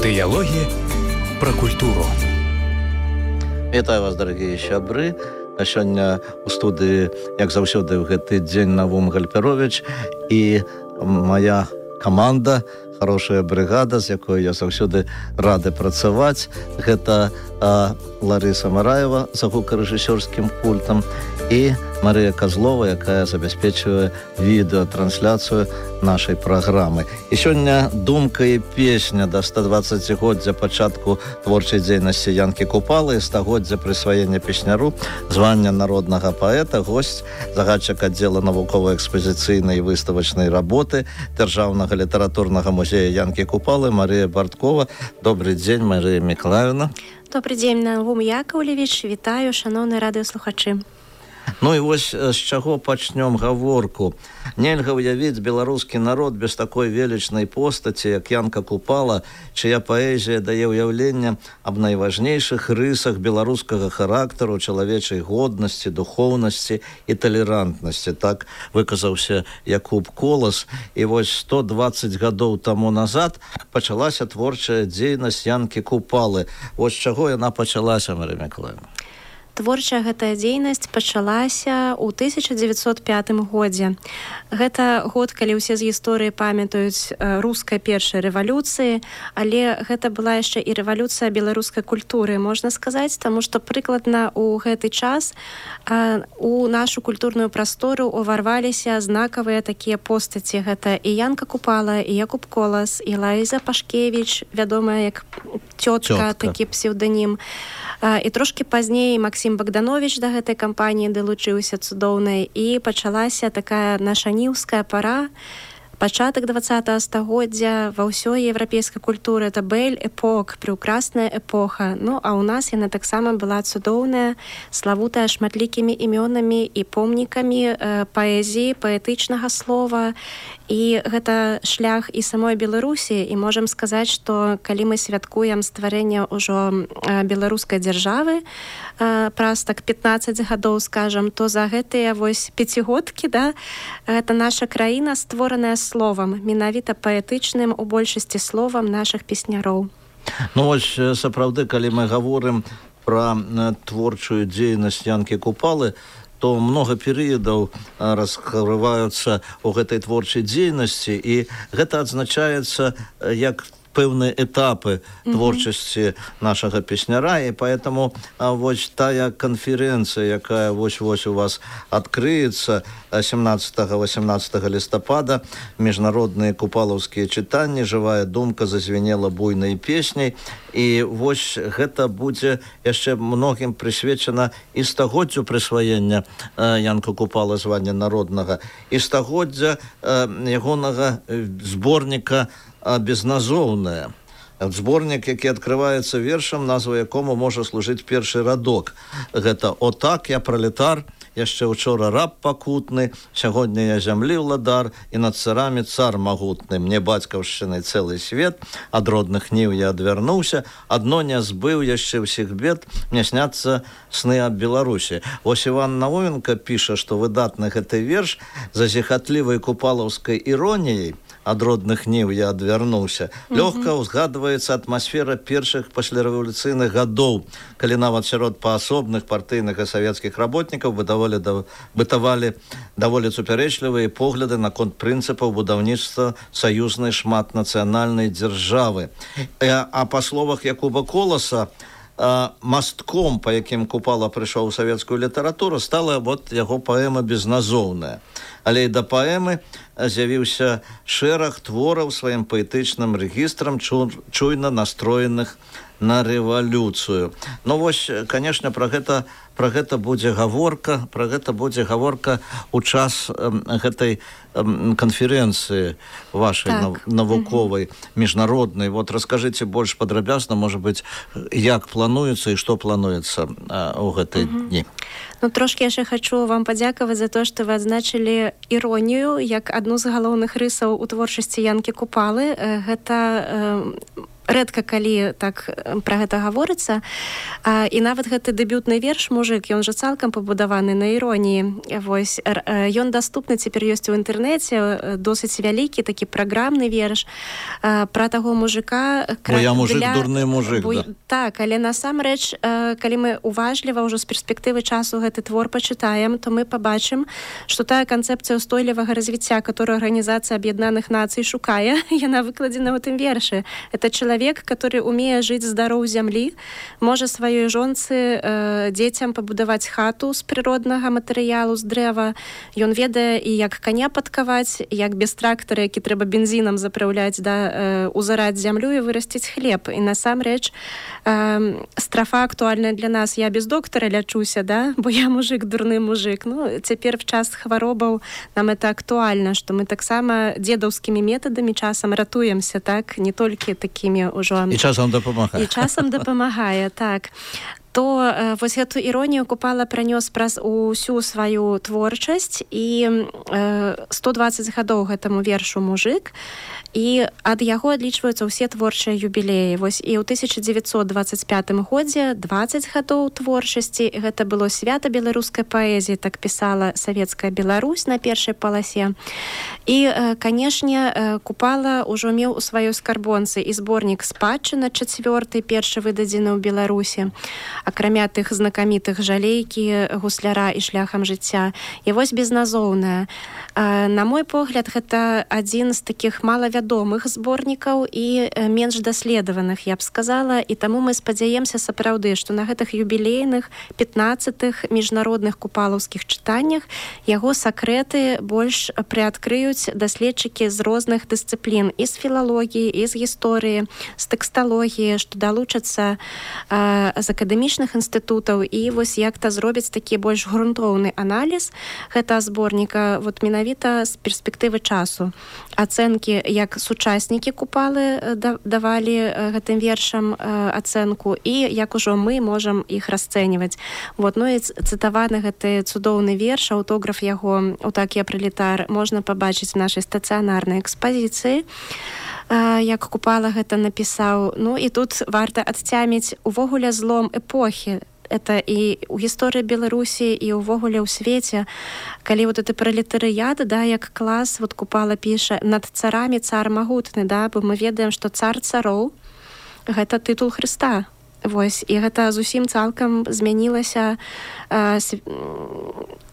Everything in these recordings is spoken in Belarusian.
Дыялогі пра культуру. Вітаю вас, дарагія сябры. Сёння у студыі, як заўсёды, ў гэты дзень Навум Гальперовіч і моя каманда, хорошая брыгада, з якой я заўсёды рады працаваць. Гэта Ларыса Мараева за гукарэжысёрскім пультам і Марыя Козлова, якая забяспечвае відэатрансляцыю нашай праграмы. І сёння думка і песня да 120-годдзя пачатку творчай дзейнасці Янкі Купалы і 100-годдзя прысваення песняру звання народнага паэта, госць, загадчык аддзела навукова-экспазіцыйнай і выставачнай работы Дзяржаўнага літаратурнага музея Янкі Купалы Марыя Барткова. Добрый дзень, Марыя Міколаївна. Добрый дзень, Навум Яковлевич. Вітаю, шановныя радыёслухачы. Ну і вось з чаго пачнём гаворку. Нельга ўявіць беларускі народ без такой велічнай постаці, як Янка Купала, чыя паэзія дае ўяўленне аб найважнейшых рысах беларускага характару, чалавечай годнасці, духоўнасці і талерантнасці. Так выказаўся Якуб Колас. І вось 120 гадоў таму назад пачалася творчая дзейнасць Янкі Купалы. Вось з чаго яна пачалася, Марыя Міколаївна? Творчая гэтая дзейнасць пачалася ў 1905 годзе. Гэта год, калі ўсе з гісторыі памятаюць рускай першай рэвалюцыі, але гэта была яшчэ і рэвалюцыя беларускай культуры, можна сказаць, таму што прыкладна ў гэты час у нашу культурную прастору уварваліся знакавыя такія постаці. Гэта і Янка Купала, і Якуб Колас, і Лаіза Пашкевіч, вядомая як цётка, такі псеўданім. І трошкі пазней Максім Богданович да гэтай кампаніі далучыўся цудоўнай, і пачалася такая нашаніўская пара, пачатак 20-го стагоддзя ва ўсёй еўрапейскай культуры. Это бэль-эпок, прыўкрасная эпоха. Ну, а ў нас яна таксама была цудоўная, славутая шматлікімі імёнамі і помнікамі паэзіі, паэтычнага слова. І гэта шлях і самой Беларусі, і можам сказаць, што калі мы святкуем стварэнне ўжо беларускай дзяржавы праз так 15 гадоў, скажам, то за гэтыя вось пяцігодкі, да, гэта наша краіна створаная словам, менавіта паэтычным у большасці словам нашых песняроў. Ну вось сапраўды, калі мы гаворым пра творчую дзейнасць Янкі Купалы, то много перыядаў раскрываюцца ў гэтай творчай дзейнасці, і гэта адзначаецца як пэўныя этапы творчасці нашага песняра, і поэтому вось тая канферэнцыя, якая вось-вось у вас адкрыецца 17-18 лістапада, міжнародныя купалаўскія чытанні, жывая думка зазвенела буйнай песняй, і вось гэта будзе яшчэ многім прысвечана і 100-годдзю прысваення Янка Купала звання народнага, і 100-годдзя ягонага зборніка «Безназоўная». Зборнік, які адкрываецца вершам, назва якому можа служыць першы радок. Гэта «О так, я пралетар, яшчэ учора раб пакутны, сягоння я зямлі ўладар, і над царамі цар магутны. Мне бацькаўшчыны цэлы свет, ад родных ніў я адвярнуўся, адно не збыў яшчэ ўсіх бед, мне сняцца сны аб Беларусі». Вось Іван Науменка піша, што выдатны гэты верш зазіхатлівай купалаўскай іроніяй «Ад родных ніў я адвярнуўся». Лёгка ўзгадваецца атмасфера першых паслярэвалюцыйных гадоў, калі нават сярод паасобных партыйных і савецкіх работнікаў бытавалі даволі супярэчлівыя погляды наконт прынцыпаў будаўніцтва саюзнай шматнацыянальнай дзяржавы. А па словах Якуба Коласа, мастком, па якім Купала прыйшоў у савецкую літаратуру, стала вот яго паэма «Безназоўная». Але і да паэмы з'явіўся шэраг твораў сваім паэтычным рэгістрам, чуйна настроеных на рэвалюцыю. Ну вось, канешне, пра гэта будзе гаворка, у час гэтай канферэнцыі вашай навуковай, міжнароднай. Вот раскажыце больш падрабязна, можа быць, як плануецца і што плануецца ў гэтыя дні. Ну, трошки яшчэ хачу вам падзякаваць за то, што вы адзначылі іронію як адну з галоўных рысаў у творчасці Янкі Купалы. Гэта рэдка калі так пра гэта гаворыцца. І нават гэты дэбютны верш «Мужик», ён жа цалкам пабудаваны на іроніі. Вось, ён даступны цяпер ёсць у інтэрнэце, досыць вялікі такі праграмны верш пра таго мужика. Бо я мужик, дурны мужик, да. Так, але насамрэч, калі мы уважліва ўжо з перспектывы часу гэты твор пачытаем, то мы пабачым, што тая канцэпцыя ўстойлівага развіцця, которую Арганізацыя Аб'яднаных Нацый шукае, яна выкладзена ў тым вершы. Это человек, который умее жыць здароў зямлі, можа сваёй жонцы, дзецям пабудаваць хату з прыроднага матэрыялу, з дрэва. Ён ведае і як каня падкаваць, як без трактара, які трэба бензінам запраўляць, да, узараць зямлю і вырасціць хлеб. І насамрэч страфа актуальная для нас. Я без доктара лячуся, да, бо я мужик, дурны мужик. Ну, цяпер в час хваробаў нам это актуальна, што мы таксама дзедаўскімі метадамі часам ратуемся, так, не толькі такімі ўжо... І часам дапамагае. І часам дапамагае, так. То вось гэту іронію Купала пранёс праз усю сваю творчасць, і 120 гадоў гэтаму вершу «Мужик», і ад яго адлічваюцца ўсе творчыя юбілеі. Вось і ў 1925 годзе 20 гадоў творчасці. Гэта было свята беларускай паэзіі, так пісала Савецкая Беларусь на першай паласе. І, канешне, Купала ўжо меў у сваёй скарбонцы і зборнік «Спадчына» 4-й, першы выдадзены ў Беларусі, акрамя тых знакамітых «Жалейкі», «Гусляра» і «Шляхам жыцця». І вось «Безназоўная». На мой погляд, гэта адзін з такіх малавядомых зборнікаў і менш даследаваных, я б сказала, і таму мы спадзяемся сапраўды, што на гэтых юбілейных 15-х міжнародных купалаўскіх чытаннях яго сакрэты больш прыадкрыюць даследчыкі з розных дысцыплін, і з філалогіі, і з гісторыі, з тэксталогіі, што далучацца з акадэмічных інстытутаў, і вось як-то зробяць такі больш грунтоўны аналіз гэтага зборніка, вот менавіта з перспектывы часу. Ацэнкі, як сучаснікі Купалы давалі гэтым вершам ацэнку, і як ужо мы можам іх расцэньваць. Вот, ну і цытаваны гэты цудоўны верш, аўтограф яго «Отак я пролетар» можна пабачыць в нашай стацыянарнай экспазіцыі, як Купала гэта напісаў. Ну і тут варта адцяміць увогуле злом эпохі. Это і ў гісторыі Беларусі, і ўвогуле ў свеце. Калі вот это пролетарыят, да, як клас, вот Купала піша, над царамі цар магутны, да, бо мы ведаем, што цар цароў — гэта тытул Хрыста. Вось, і гэта зусім цалкам змянілася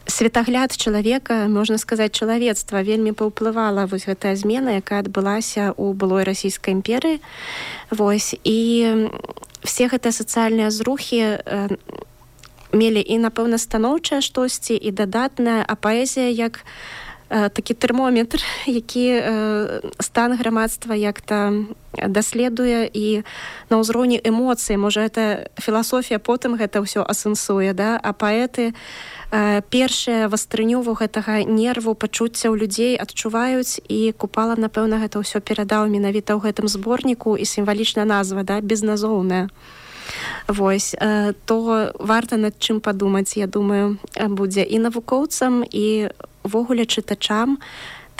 светагляд чалавека, можна сказаць, чалавецтва. Вельмі паўплывала вось гэтая змена, якая адбылася ў былой расійскай імперыі. Вось, і все гэтыя сацыяльныя зрухі мелі і, напэўна, станоўчае штосьці, і дадатнае, а паэзія як такі тэрмометр, які стан грамадства як-то даследуе, і на ўзроўні эмоцый, можа, гэта філасофія потым гэта ўсё асэнсуе, да? А паэты першыя вастрыню гэтага нерву, пачуцця ў людзей адчуваюць, і Купала, напэўна, гэта ўсё перадаў менавіта ў гэтым зборніку, і сімвалічная назва, да, «Безназоўная». Вось, то варта над чым падумаць, я думаю, будзе і навукоўцам, і увогуле чытачам,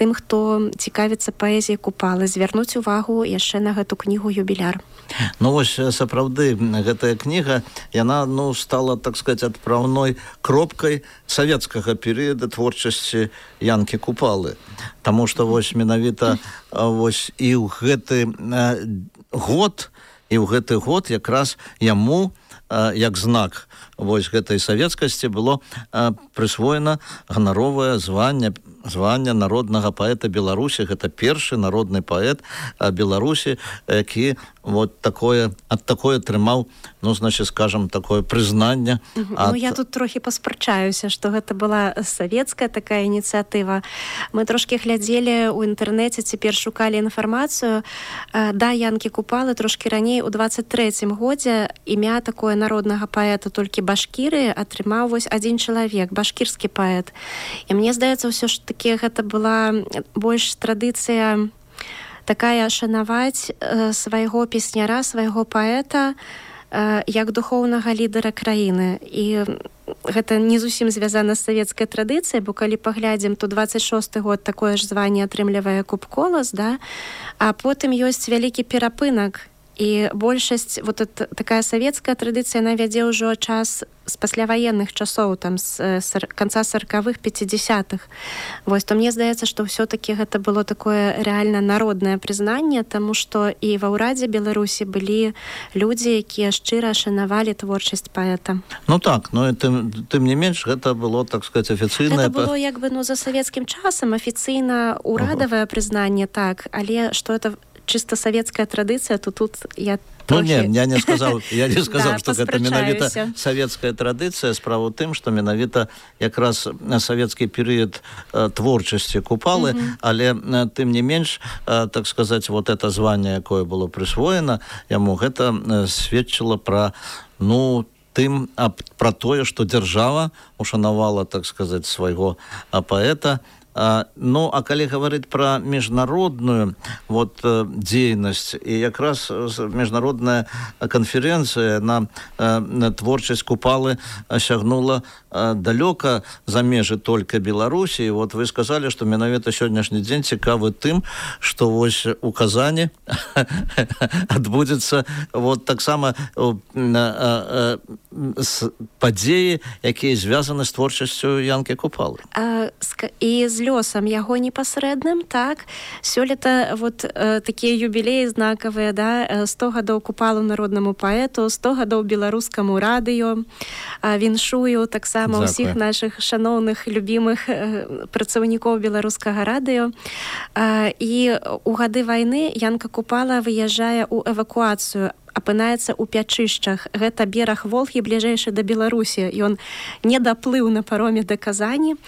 тым, хто цікавіцца паэзіяй Купалы, звярнуць увагу яшчэ на гэту кнігу «Юбіляр». Ну вось, сапраўды, гэтая кніга, яна, ну, стала, так сказать, адпраўной кропкай савецкага перыяда творчасці Янкі Купалы. Таму што вось менавіта вось і ў гэты год, якраз яму, як знак вось гэтай савецкасці, было прысвоена ганаровае званне народнага паэта Беларусі. Гэта першы народны паэт Беларусі, які вот такое атрымаў, ну, значит, скажем, такое прызнанне. Ну, я тут трохі паспрачаюся, што гэта была савецкая такая ініцыятыва. Мы трошкі глядзелі ў інтэрнэце, цяпер шукалі інфармацыю. Да Янкі Купалы трошкі раней, у 23-м годзе, імя такое народнага паэта толькі Башкірыі атрымаў вось адзін чалавек, башкірскі паэт. І мне здаецца, ўсё ж такі гэта была больш традыцыя такая шанаваць свайго песняра, свайго паэта як духоўнага лідара краіны. І гэта не зусім звязана з савецкай традыцыяй, бо калі паглядзім, то 26-й год такое ж званне атрымлівае Куб Колас, да? А потым ёсць вялікі перапынак. і большасць вот такая савецкая традыцыя, яна вядзе ўжо час з пасляваенных часоў, там з канца 40-х, 50-х. Вось, то мне здаецца, што ўсё-такі гэта было такое реально народнае прызнанне, таму што і ва ўрадзе Беларусі былі людзі, якія шчыра шанавалі творчасць паэта. Ну так, но тым не менш, гэта было, так сказать, афіцыйнае... Гэта было як бы, за савецкім часам афіцыйна ўрадавае прызнанне, так, але што это чисто савецкая традыцыя, то тут я трохі... Ну, я не сказаў, да, што гэта менавіта савецкая традыцыя. Справа ў тым, што менавіта якраз савецкі перыяд творчасці Купалы, але тым не менш, так сказаць, вот это званне, якое было прысвоена яму, гэта сведчыла пра, пра тое, што дзяржава ушанавала, так сказаць, свайго паэта. Ну, а калі гаварыць пра міжнародную дзейнасць, і якраз міжнародная канферэнцыя на творчасць Купалы сягнула далёка за межы толькі Беларусі. І вы сказалі, што менавіта сённяшні дзень цікавы тым, што вось у Казані адбудзецца таксама падзеі, якія звязаны з творчасцю Янкі Купалы. І з лёсам яго непасрэдным, так. Сёлета такія юбілеі знакавыя, 100 гадоў Купалу народнаму паэту, 100 гадоў беларускаму радыё. Віншую таксама ўсіх нашых шаноўных, любімых працаўнікоў беларускага радыё. І у гады вайны Янка Купала выязджае ў эвакуацыю, апынаецца ў Пячышчах. Гэта бераг Волгі, бліжэйшы да Беларусі. Ён не даплыў на пароме да Казані.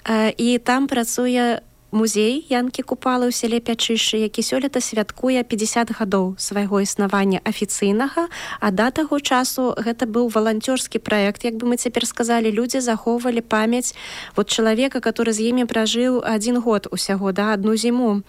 І там працуе музей Янкі Купалы ў сяле Пячышчы, які сёлета святкуе 50 гадоў свайго існавання афіцыйнага, а да таго часу гэта быў валанцёрскі праект, як бы мы цяпер сказалі, людзі захоўвалі памяць чалавека, который з імі пражыў 1 год усяго, одну зіму.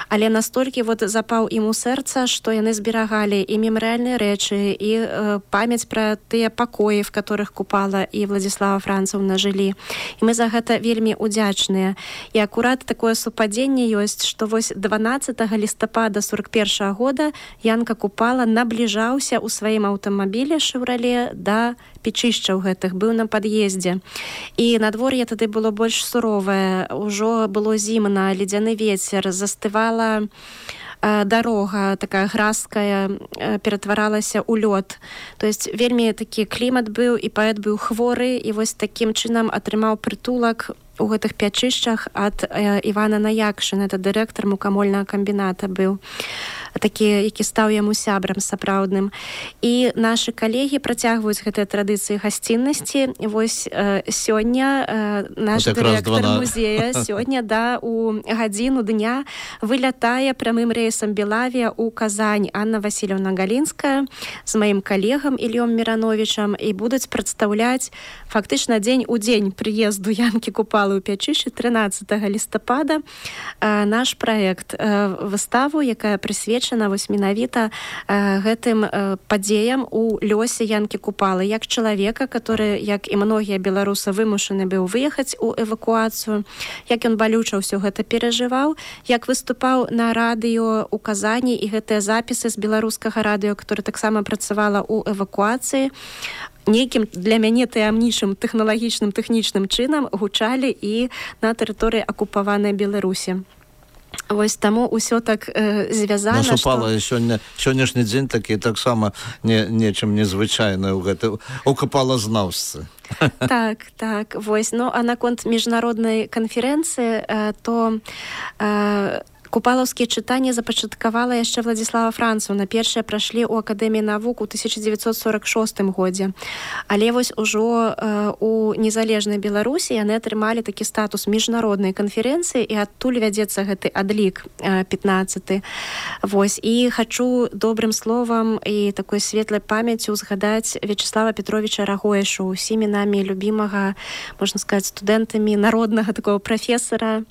Але настолькі запаў ім у сэрца, што яны зберагалі і мемарыяльныя рэчы, і памяць пра тыя пакоі, в которых Купала і Владзіслава Францаўна жылі. І мы за гэта вельмі удзячныя. І акурат такое супадзенне ёсць, што 12 лістапада 41 года Янка Купала набліжаўся ў сваім аўтамабілі «Шевроле» да Пячышчаў гэтых, быў на пад'ездзе. І надвор'е тады было больш суровае, ужо было зімна, ледзяны вецер, застывала дарога такая гразкая, ператваралася ў лёд. То есть вельмі такі клімат быў, і паэт быў хворы, і такім чынам атрымаў прытулак у гэтых Пячышчах ад Івана Наякшына, это дырэктар мукамольнага камбіната быў, такі, які стаў яму сябрам сапраўдным. І нашы калегі працягваюць гэтыя традыцыі гасціннасці. Сёння наш дырэктар музея у гадзіну дня вылятае прямым рэйсам Белавія ў Казань. Анна Васильевна Галінская з маім калегам Ільём Мірановічам і будуць прадстаўляць фактычна дзень у дзень прыезду Янкі Купалы ў Пячышчы 13 лістапада наш праект, выставу, якая прысвечана менавіта гэтым падзеям у лёсе Янкі Купалы, як чалавека, который, як і многія беларусы, вымушаны быў выехаць у эвакуацыю, як ён балюча ўсё гэта перажываў, як выступаў на радыё у Казані, і гэтыя запісы з беларускага радыё, которое таксама працавала ў эвакуацыі, нейкім для мяне таямнічым тэхнічным чынам гучалі і на тэрыторыі акупаванай Беларусі. Таму ўсё так звязана, што... Супала сённяшні дзень такі таксама нечым незвычайна ў гэтай укапалазнаўцы. Так. А наконт міжнароднай канферэнцыі, то... Купалаўскія чытанні запачаткавала яшчэ Владзіслава Францаўна. Першыя прайшлі ў Акадэміі навук у 1946 годзе. Але ужо у незалежнай Беларусі яны атрымалі такі статус міжнароднай канферэнцыі, і адтуль вядзецца гэты адлік 15. І хачу добрым словам і такой светлай памяццю згадаць Вячеслава Петровича Рагоешу, усімі намі любімага, можна сказаць, студэнтамі народнага такого прафесара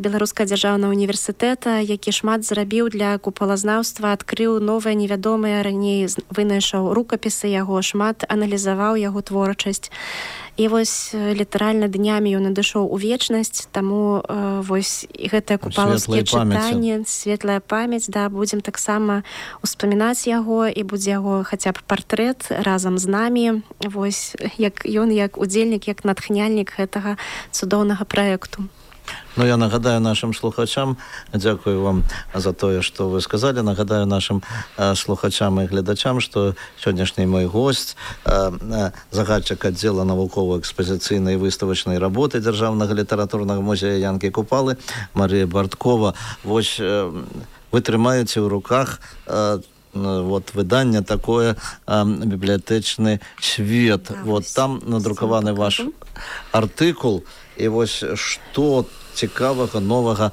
Беларускага дзяржаўнага універсітэта універсітэта, які шмат зрабіў для купалазнаўства, адкрыў новыя невядомыя раней, вынайшаў рукапісы яго, шмат аналізаваў яго творчасць. І вось літаральна днямі ён надышоў у вечнасць, таму вось гэтае купалаўскія чытанні, светлая памяць, да, будзем таксама успамінаць яго, і будзе яго хаця б партрэт разам з намі, вось як ён як удзельнік, як натхняльнік гэтага цудоўнага праекту. Ну, я нагадаю нашим слухачам, дякую вам за тое, што вы сказали, нагадаю нашим слухачам і гледачам, што сённяшні мой гость, загадчык аддзела навукова-экспазіцыйнай выставачнай работы Дзяржаўнага літаратурнага музея Янкі Купалы, Марія Барткова. Вось вы трымаеце ў руках вот выданне такое «Бібліятэчны свет». Вот там надрукаваны ваш артыкул. І вось што цікавага, новага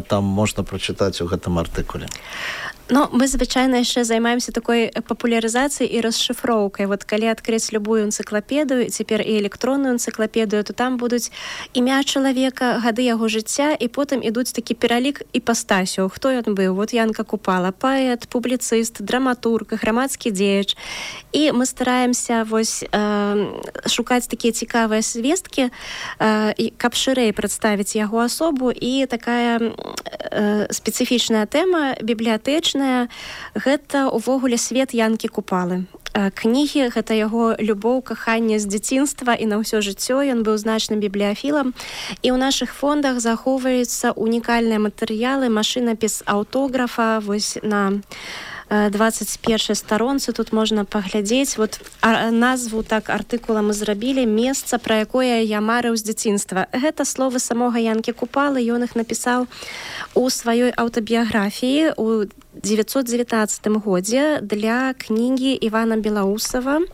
там можна прачытаць у гэтым артыкуле? Ну, мы звычайна яшчэ займаемся такой папулярызацыяй і расшыфроўкай. Вот калі адкрыць любую энцыклапедыю, цяпер і электронную энцыклапедыю, то там будуць імя чалавека, гады яго жыцця, і потым ідуць такі пералік іпастасяў. Хто ён быў? Вот Янка Купала, паэт, публіцыст, драматург, грамадскі дзеяч. І мы стараемся вось шукаць такія цікавыя звесткі, каб шырэй прадставіць яго асобу. І такая спецыфічная тэма бібліятэчная, гэта увогуле свет Янкі Купалы. Кнігі — гэта яго любоў, каханне з дзяцінства і на ўсё жыццё. Ён быў значным бібліяфілам. І ў нашых фондах захоўваюцца унікальныя матэрыялы, машынапіс аўтографа, вось на 21 старонцы тут можна паглядзець. Вот назву так артыкула мы зрабілі «Месца, пра якое я марыў з дзяцінства». Гэта словы самога Янкі Купалы. Ён іх напісаў у сваёй аўтабіяграфіі ў 1919 годзе для кнігі Івана Белаусава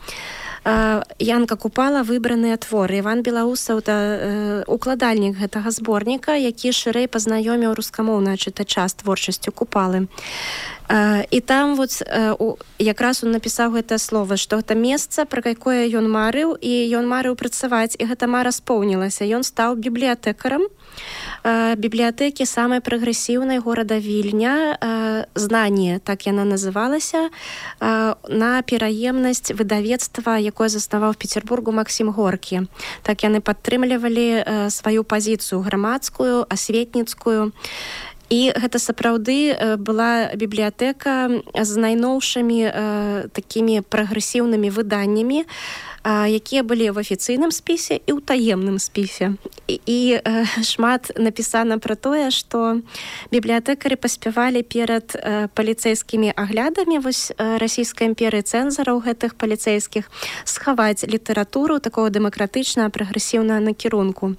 «Янка Купала. Выбраныя творы». Іван Белаусаў — это укладальнік гэтага зборніка, які шырэй пазнаёміў рускамоўнага чытача з творчасцю Купалы. І там вот якраз он напісаў гэтае слово, што гэта месца, пра якое ён марыў, і ён марыў працаваць, і гэта мара споўнілася. Ён стаў бібліятэкарам бібліятэкі самай прагрэсіўнай горада Вільня, «Знанне», так яна называлася, на пераемнасць выдавецтва, якое заснаваў в Петербургу Максім Горкі. Так яны падтрымлівалі сваю пазіцыю грамадскую, асветніцкую. І гэта сапраўды была бібліятэка з найноўшымі такімі прагрэсіўнымі выданнямі, якія былі в афіцыйным спісе і ў таемным спісе. І шмат напісана пра тое, што бібліятэкары паспявалі перад паліцэйскімі аглядамі вось расійскай імперыі, цэнзараў гэтых паліцэйскіх, схаваць літаратуру такого дэмакратычнага прагрэсіўнага накірунку.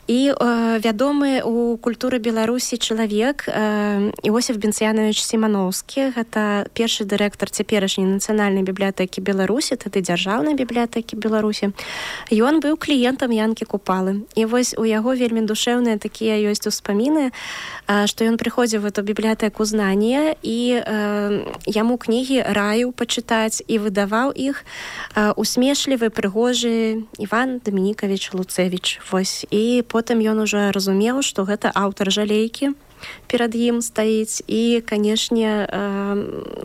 І вядомы ў культуры Беларусі чалавек Іосиф Бенцянович Сімановскі, гэта першы дырэктар цяперашняй нацыянальнай бібліятэкі Беларусі, тады дзяржаўнай бібліятэкі Беларусі. Ён быў кліентам Янкі Купалы. І вось у яго вельмі душэўныя такія ёсць успаміны, што ён прыходзіў в эту бібліятэку «Знанне», і яму кнігі раіў пачытаць і выдаваў іх усмешлівы, прыгожы Іван Дамінікавіч Луцевіч. Вось. І потым ён ужо разумеў, што гэта аўтар «Жалейкі» перад ім стаіць, і, канешне,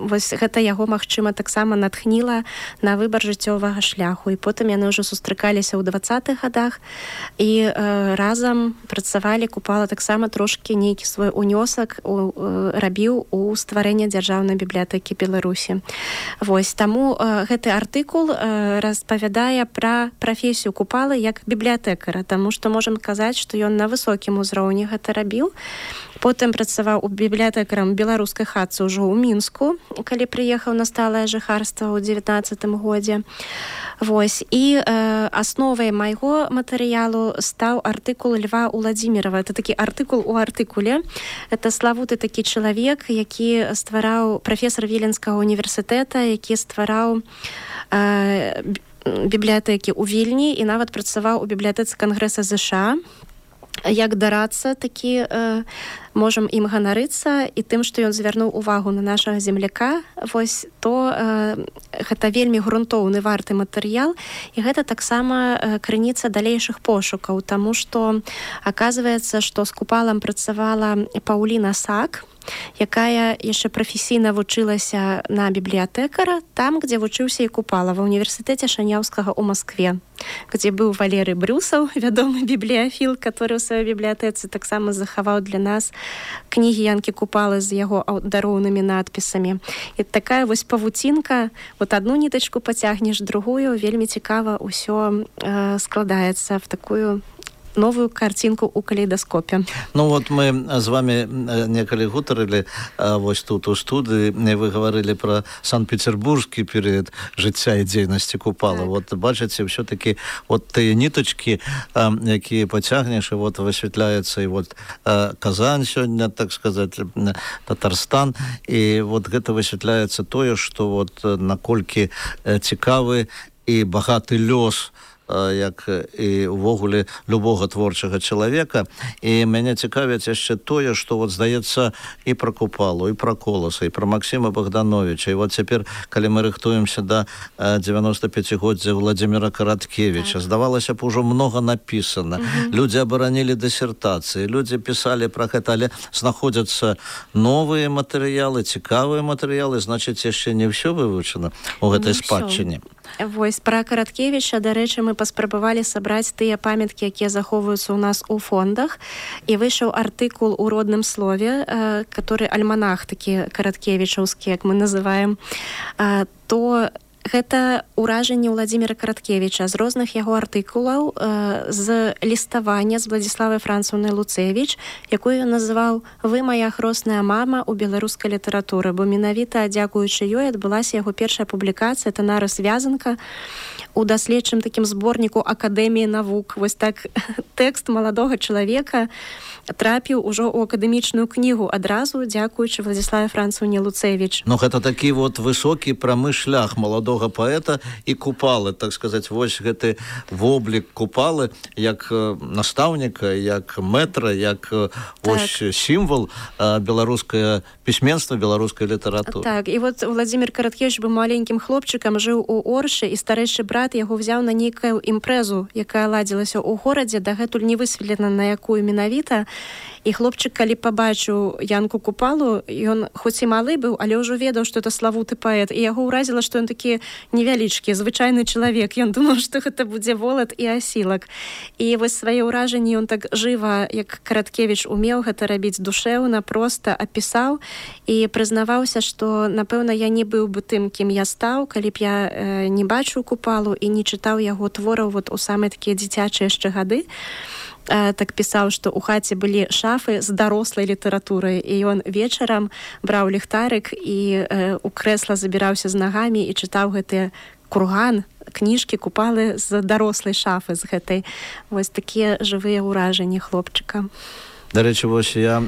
вось гэта яго, магчыма, таксама натхніла на выбар жыццёвага шляху. І потым яны ўжо сустракаліся ў 20-х гадах і разам працавалі. Купала таксама трошкі нейкі свой унёсак рабіў у стварэнне дзяржаўнай бібліятэкі Беларусі. Вось, таму гэты артыкул распавядае пра прафесію Купалы як бібліятэкара, таму што можам казаць, што ён на высокім узроўні гэта рабіў. Потым працаваў у бібліятэкарам беларускай хатцы ўжо ў Мінску, калі прыехаў на сталае жыхарства ў 19 годзе. Вось. І асновай майго матэрыялу стаў артыкул Льва Уладзімірава. Это такі артыкул у артыкуле. Это славуты такі чалавек, які ствараў, прафесар Віленскага універсітэта, які ствараў бібліятэкі ў Вільні і нават працаваў у бібліятэцы Кангрэса ЗША. як дарацца такі можам ім ганарыцца і тым, што ён звярнуў увагу на нашага земляка, вось то гэта вельмі грунтоўны варты матэрыял, і гэта таксама крыніца далейшых пошукаў, таму што аказваецца, што з Купалам працавала Паўліна Сак, якая яшчэ прафесійна вучылася на бібліятэкара там, дзе вучыўся і Купала, ва універсітэце Шаняўскага ў Маскве, дзе быў Валерый Брюсаў, вядомы бібліяфіл, который ў сваёй бібліятэцы таксама захаваў для нас кнігі Янкі Купалы з яго дароўнымі надпісамі. І такая вось павуцінка, вот одну нітачку пацягнеш, другую, вельмі цікава ўсё складаецца в такую новую картинку у калейдаскопе. Ну вот мы з вами некалі гутарылі вось тут у студыі, вы гаварылі про Санкт-Петербургскі перыяд жыцця і дзейнасці Купала. Вот бачыце, ўсё-таки вот тыя нітачкі, якія пацягнеш, і вот высвятляецца і вот Казань сёння, так сказать, Татарстан, і вот гэта высвятляецца тое, што вот наколькі цікавы і багаты лёс як і ўвогуле любога творчага чалавека. І мяне цікавіць яшчэ тое, што вот здаецца і пра Купалу, і пра Коласа, і пра Максіма Богдановича. І вот цяпер, калі мы рыхтуемся да 95-годдзя Владзіміра Караткевіча, здавалася б, ужо многа напісана. Людзі абаранілі дысертацыі, людзі пісалі пра гэта, але знаходзяцца новыя матэрыялы, цікавыя матэрыялы, значыць, яшчэ не ўсё вывучана ў гэтай спадчыне. Вось пра Караткевіча, дарэчы, мы паспрабавалі сабраць тыя памяткі, якія захоўваюцца ў нас у фондах, і выйшаў артыкул у родным слове, который альманах такі караткевічаўскі, як мы называем, то гэта ўражанне Владзіміра Караткевіча з розных яго артыкулаў, з ліставання з Владзіславай Францаўнай Луцевіч, якую ён называў «Вы моя хросная мама ў беларускай літаратуры», бо менавіта дзякуючы ёй адбылася яго першая публікацыя «Танара Связанка» у даследчым такім зборніку Акадэміі навук. Вось так тэкст маладога чалавека трапіў ужо ў акадэмічную кнігу адразу, дзякуючы Владзіславе Францаўне Луцевіч. Ну, гэта такі вот высокі прамы шлях маладога паэта і Купалы, так сказаць, вось гэты воблік Купалы як настаўніка, як мэтра, як вось сімвал беларускае пісьменства, беларускай літаратуры. Так, і вот Владзімір Караткевіч быў маленькім хлопчыкам, жыў у Оршы, і старэйшы брат яго взяў на нейкую імпрэзу, якая ладзілася ў горадзе, дагэтуль не высветлена, на якую менавіта. І хлопчык, калі пабачыў Янку Купалу, ён хоць і малы быў, але ўжо ведаў, што это славуты паэт, і яго ўразіла, што ён такі невялічкі, звычайны чалавек. Ён думаў, што гэта будзе волат і асілак. І вось свае ўражанні ён так жыва, як Караткевіч умеў гэта рабіць душэўна, проста апісаў і прызнаваўся, што, напэўна, я не быў бы тым, кім я стаў, калі б я не бачыў Купалу і не чытаў яго твораў вот у самыя такія дзіцячыя яшчэ гады. Так пісаў, што ў хаце былі шафы з дарослай літаратурай, і ён вечарам браў ліхтарык і у крэсла забіраўся з нагамі і чытаў гэтыя курган, кніжкі Купалы з дарослай шафы, з гэтай. Вось такія жывыя ўражанні хлопчыка. Дарэчы, вось я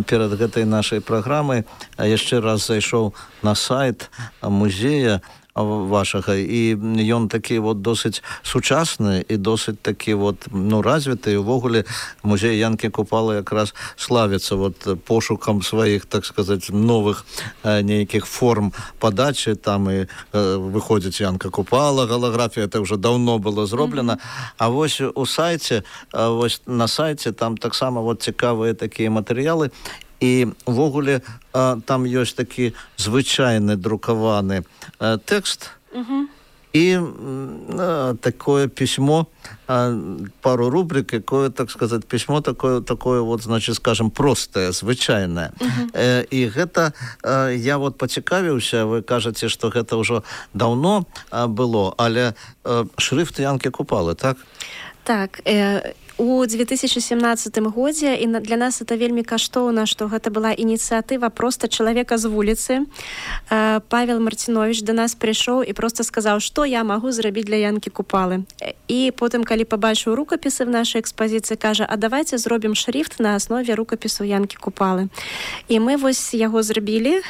перад гэтай нашай праграмай яшчэ раз зайшоў на сайт музея вашага, і ён такі вот досыць сучасны і досыць такі вот, ну, развіты, і увогуле музей Янкі Купалы якраз славіцца вот пошукам сваіх, так сказаць, новых нейкіх форм падачы. Там і выходзіць Янка Купала, галаграфія, это ўжо даўно было зроблена. А вось у сайце, вось на сайце там таксама вот цікавыя такія матэрыялы. І ўвогуле там ёсць такі звычайны друкаваны тэкст і такое пісьмо, пару рубрик, якое, так сказаць, пісьмо такое вот, значит, скажем, простае, звычайнае. І гэта, я вот пацікавіўся, вы кажаце, што гэта ўжо даўно было, але шрыфт Янкі Купалы, так? Так, у 2017 годзе, і для нас это вельмі каштоўна, што гэта была ініцыятыва проста чалавека з вуліцы. Павел Марцінович да нас прыйшоў і проста сказаў, што я магу зрабіць для Янкі Купалы. І потым, калі пабачыў рукапісы в нашай экспазіцыі, кажа, а давайте зробім шрифт на аснове рукапісу Янкі Купалы. І мы вось яго зрабілі,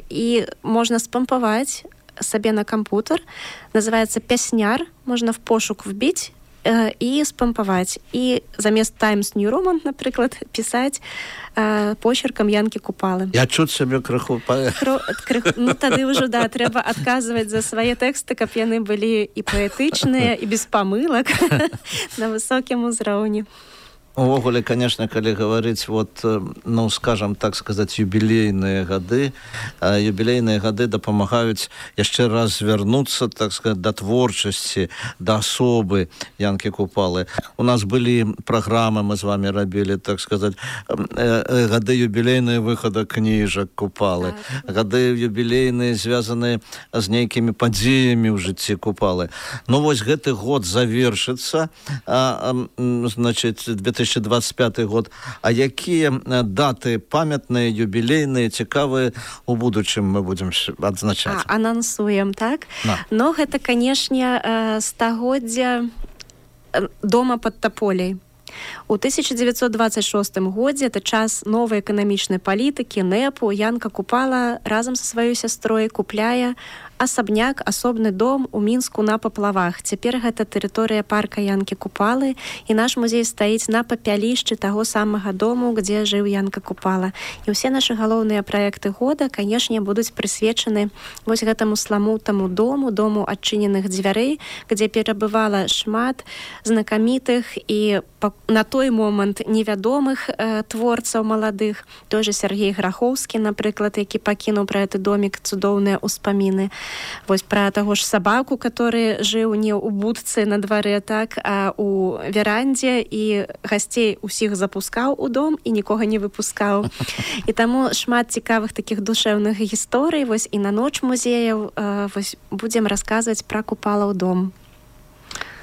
і можна спампаваць сабе на кампутер. Называецца «Пясняр», можна в пошук вбіць. і спампаваць. І замест Times New Roman, напрыклад, пісаць почеркам Янкі Купалы. Я чуць сябе крыху Ну, тады ўжо, да, трэба адказваць за свае тэксты, каб яны былі і паэтычныя, і без памылак на высокім узроўні. Увогуле, конечно, калі говорить, вот, ну, скажем, так сказать, юбилейные гады дапамагаюць яшчэ раз звярнуцца, так сказать, да творчасці, да асобы Янкі Купалы. У нас былі праграмы, мы з вами рабілі, так сказать, гады юбилейныя выхада кніжак Купалы, гады юбилейныя звязаныя з нейкімі падзеямі ў жыцці Купалы. Ну, вось гэты год завершыцца, значит, 2025 год. А якія даты памятныя, юбілейныя, цікавыя у будучым мы будзем адзначаць? Анансуем, так? Но гэта, канешне, стагоддзя дома пад Таполяй. У 1926 годзе, это час новай эканамічнай палітыкі, НЭПу, Янка Купала разам са сваёй сястрой купляе асабняк, асобны дом у Мінску на Паплавах. Цяпер гэта тэрыторыя парка Янкі Купалы, і наш музей стаіць на папялішчы таго самага дому, дзе жыў Янка Купала. І ўсе нашы галоўныя праекты года, канешне, будуць прысвечаны вось гэтаму сламутаму дому адчыненых дзвярэй, дзе перабывала шмат знакамітых і на той момант невядомых творцаў маладых. Той же Сергей Грахоўскі, напрыклад, які пакінуў пра гэты домік цудоўныя ўспаміны. Вось пра таго ж сабаку, который жыў не ў будцы на дварэ, так, а у верандзе, і гасцей усіх запускаў у дом і нікога не выпускаў. І таму шмат цікавых такіх душэўных гісторый. Вось і на ноч музеяў вось будзем расказваць пра Купалаў дом.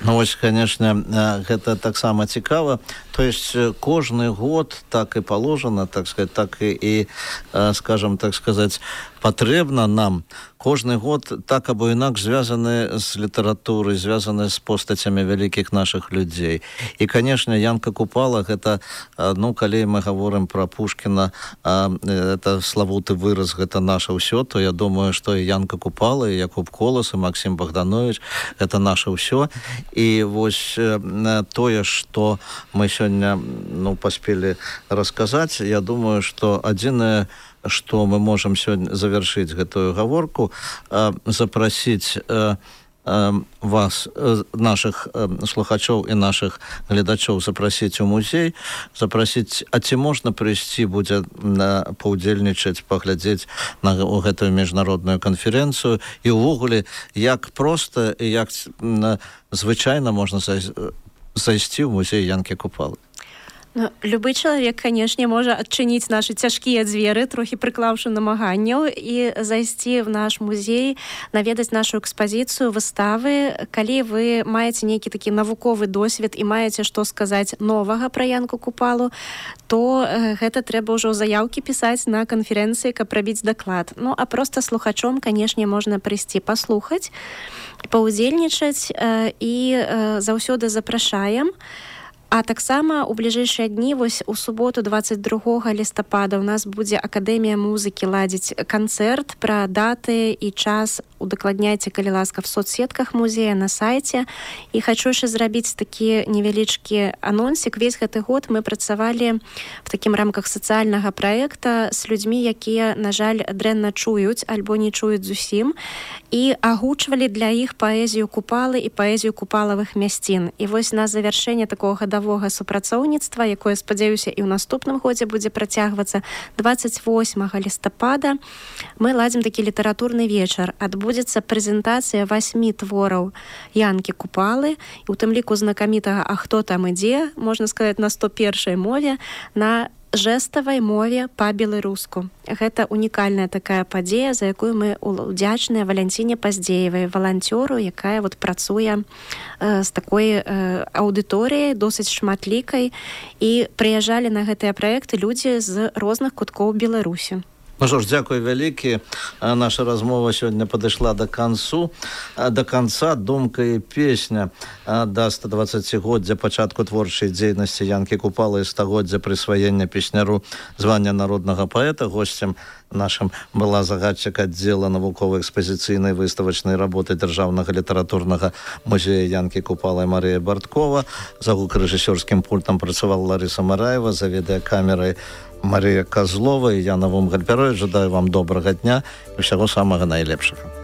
Ну, вось, конечно, гэта таксама цікава. То есть кожны год так і положено, так сказать, так і, скажем, так сказать, патрэбна нам кожны год так або інакш звязаны з літаратурай, звязаны з постацямі вялікіх нашых людзей. І, конечно, Янка Купала, гэта, ну, калі мы говорим про Пушкіна, это славуты выраз, гэта наша ўсё, то я думаю, што і Янка Купала, і Якуб Колас, і Максим Богданович, гэта наша ўсё. І вось тое, што мы сёння, ну, паспелі расказаць, я думаю, што адзінае, што мы можам сёння завершыць гэтую гаворку, запрасіць вас, наших слухачоў і наших гледачоў, запрасіць у музей, запрасіць, а ці можна прыйсці будзе паўдзельнічаць, паглядзець на гэтую міжнародную канферэнцыю, і ўвогуле, як проста і як звычайна можна зайсці ў музей Янкі Купалы? Ну, любы чалавек, канешне, можа адчыніць нашы цяжкія дзверы, трохі прыклаўшы намаганняў, і зайсці в наш музей, наведаць нашу экспазіцыю, выставы. Калі вы маеце нейкі такі навуковы досвед і маеце што сказаць новага пра Янку Купалу, то гэта трэба ўжо заяўкі пісаць на канферэнцыі, каб рабіць даклад. Ну, а проста слухачом, канешне, можна прыйсці паслухаць, паўдзельнічаць, і заўсёды запрашаем. А таксама у бліжэйшыя дні, вось у суботу 22 лістапада у нас будзе Акадэмія музыкі ладзіць канцэрт. Пра даты і час удакладняйце, калі ласка, в соцсетках музея, на сайце. І хачу яшчэ зрабіць такі невялічкі анонсік. Весь гэты год мы працавалі в такім рамках сацыяльнага праекта з людзьмі, якія, на жаль, дрэнна чуюць альбо не чуюць зусім, і агучвалі для іх паэзію Купалы і паэзію купалавых мясцін. І вось на завяршэнне такого гадавога супрацоўніцтва, якое, спадзяюся, і ў наступным годзе будзе працягвацца, 28 лістапада мы ладзім такі літаратурны вечар. Адбудзецца прэзентацыя 8 твораў Янкі Купалы, і у тым ліку знакамітага «А хто там ідзе», можна сказаць, на 101-й мове, на жэставай мове па-беларуску. Гэта унікальная такая падзея, за якую мы удзячныя Валянціне Паздзеевай, валанцёру, якая вот працуе з такой аўдыторыяй, досыць шматлікай, і прыязджалі на гэтыя праекты людзі з розных куткоў Беларусі. Ну что ж, дзякуй вялікі. Наша размова сёння падышла до конца. Думка і песня да 120-годдзя пачатку творчай дзейнасці Янкі Купалы і 100-годдзя прысваення песняру звання народнага паэта. Госцем нашим была загадчык аддзела навукова-экспазіцыйнай выставачнай работы Дзяржаўнага літаратурнага музея Янкі Купалы Марія Барткова. За гукарэжысёрскім пультам працавала Ларыса Мараева, за відэакамерай Марія Козлова і я Навум Гальпярой. Жадаю вам добрага дня і ўсяго самага найлепшага.